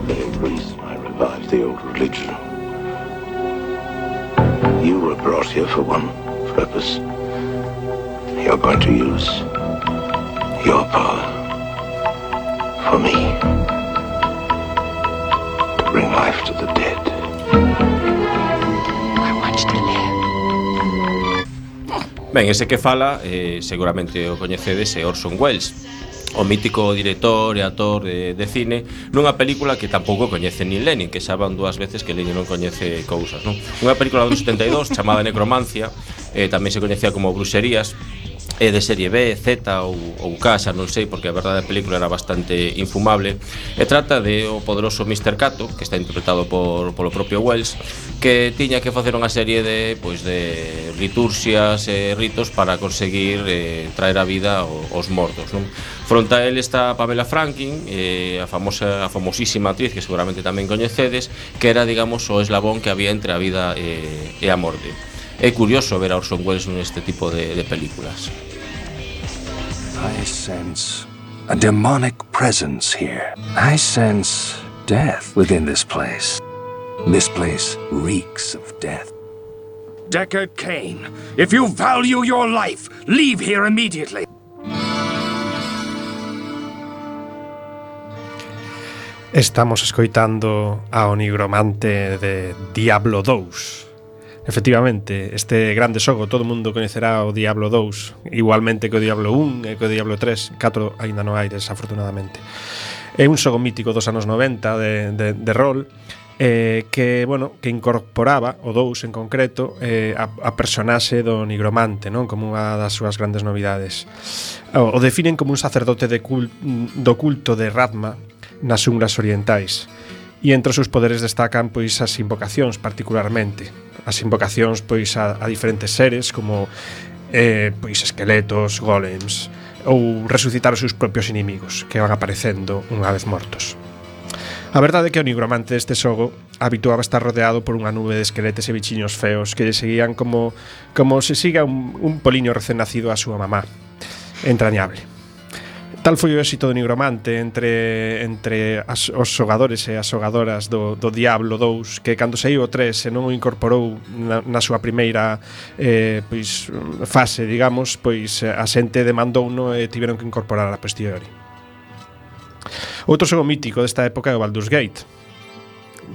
The reason I revived the old religion. You were brought here for one purpose. You're going to use your power for me to bring life to the dead. I want you to live. Ben, ese que fala, eh, seguramente o coñecedes, é Orson Welles, o mítico director e actor de, de cine, nunha película que tampouco coñece nin Lenin, que xa van dúas veces que Lenin non coñece cousas, non? Unha película do setenta e dous chamada Necromancia, eh, tamén se coñecía como Bruxerías, é de serie B, Z ou, ou K, xa non sei, porque a verdade a película era bastante infumable, e trata de o poderoso mister Cato, que está interpretado por, polo propio Wells, que tiña que facer unha serie de, pois, de liturxias e ritos para conseguir eh, traer a vida aos mortos, non? Fronte a él está Pamela Franklin, eh, a famosa, a famosísima actriz que seguramente tamén coñecedes, que era, digamos, o eslabón que había entre a vida e, e a morte. É curioso ver a Orson Welles neste tipo de, de películas. I sense a demonic presence here. I sense death within this place. This place reeks of death. Deckard Cain, if you value your life, leave here immediately. Estamos escoitando ao nigromante de Diablo dous. Efectivamente, este grande xogo todo o mundo coñecerá o Diablo dous, igualmente que o Diablo un e que o Diablo tres, catro aínda non hai, desafortunadamente. É un xogo mítico dos anos noventa de, de, de rol, eh, que, bueno, que incorporaba o dous en concreto eh, a, a personaxe do nigromante, non? Como unha das súas grandes novidades. O, o definen como un sacerdote de cul, do culto de Radma nas xunglas orientais. E entre os seus poderes destacan pois as invocacións particularmente. As invocacións pois a, a diferentes seres como eh, pois esqueletos, golems ou resucitar os seus propios inimigos que van aparecendo unha vez mortos. A verdade é que o nigromante deste xogo habituaba estar rodeado por unha nube de esqueletes e bichiños feos que lle seguían como, como se siga un, un poliño recén nacido a súa mamá. Entrañable. Tal foi o éxito do nigromante entre, entre as, os xogadores e as xogadoras do, do Diablo dous que cando saiu o tres e non o incorporou na, na súa primeira eh, pois, fase, digamos, pois a xente demandouno e tiveron que incorporar a posteriori. Outro xogo mítico desta época é o Baldur's Gate,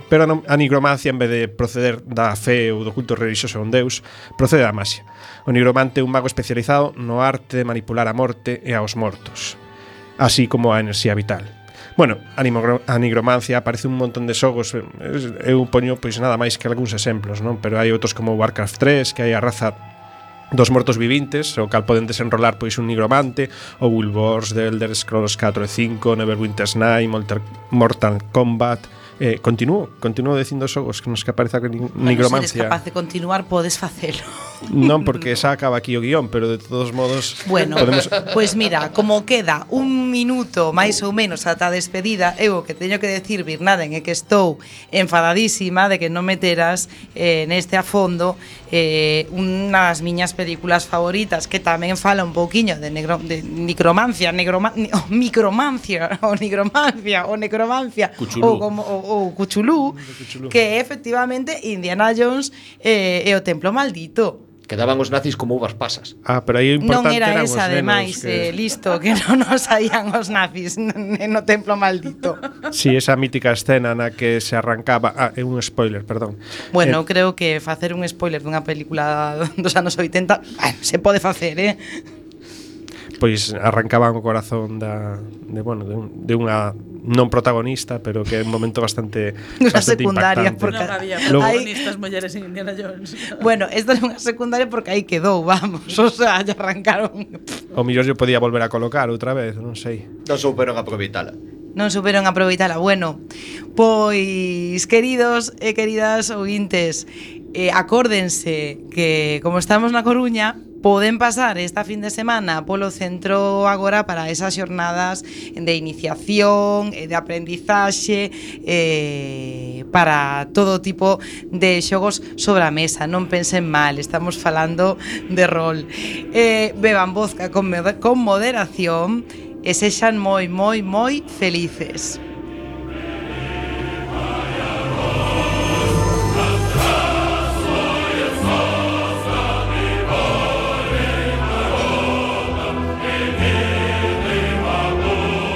pero a nigromancia, en vez de proceder da fe ou do culto religioso a un deus, procede da maxia. O nigromante é un mago especializado no arte de manipular a morte e aos mortos, así como a enerxía vital. Bueno, a, a nigromancia aparece un montón de xogos, eu poño pois nada máis que algúns exemplos, non? Pero hai outros como Warcraft tres, que hai a raza dos mortos vivintes, o cal poden desenrolar pois un nigromante, ou Guild Wars, The Elder Scrolls catro e cinco, Neverwinter's Night, Mortal Kombat. Eh, continuo, continuo dicindo xogos que nos que apareza bueno, nigromancia. Se eres capaz de continuar, podes facelo. Non, porque xa acaba aquí o guión, pero de todos modos bueno, podemos... Pois pues mira, como queda un minuto máis ou menos ata a despedida, eu o que teño que decir, Birnaden, é que estou enfadadísima de que non meteras eh, neste a fondo eh, unha das miñas películas favoritas, que tamén fala un pouquiño de, negro, de necromancia, negroma, o micromancia, o nigromancia, o necromancia, Cuchulú. ou como o, o Cuchulú, que é efectivamente Indiana Jones eh, e o Templo Maldito. Quedaban os nazis como uvas pasas. Ah, pero aí o importante non era eran esa, os ademais, que... eh, listo, que non nos saían os nazis no Templo Maldito. Si, sí, esa mítica escena na que se arrancaba... Ah, é un spoiler, perdón. Bueno, eh, creo que facer un spoiler dunha película dos anos oitenta, bueno, se pode facer, eh? Pois arrancaban o corazón da, de, bueno, de, un, de unha non protagonista, pero que é un momento bastante, bastante secundaria, impactante. porque non había Logo, protagonistas mulleres en Indiana Jones. Bueno, esta é unha secundaria porque aí quedou, vamos, o sea, ya arrancaron. O millor yo podía volver a colocar outra vez, non sei. Non souperon aproveitala. Non superon aproveitala. Bueno, pois, queridos e queridas ouvintes, eh, acórdense que como estamos na Coruña, poden pasar esta fin de semana polo centro agora para esas xornadas de iniciación, de aprendizaxe, eh, para todo tipo de xogos sobre a mesa. Non pensen mal, estamos falando de rol. Eh, beban vodka con, con moderación e sexan moi, moi, moi felices.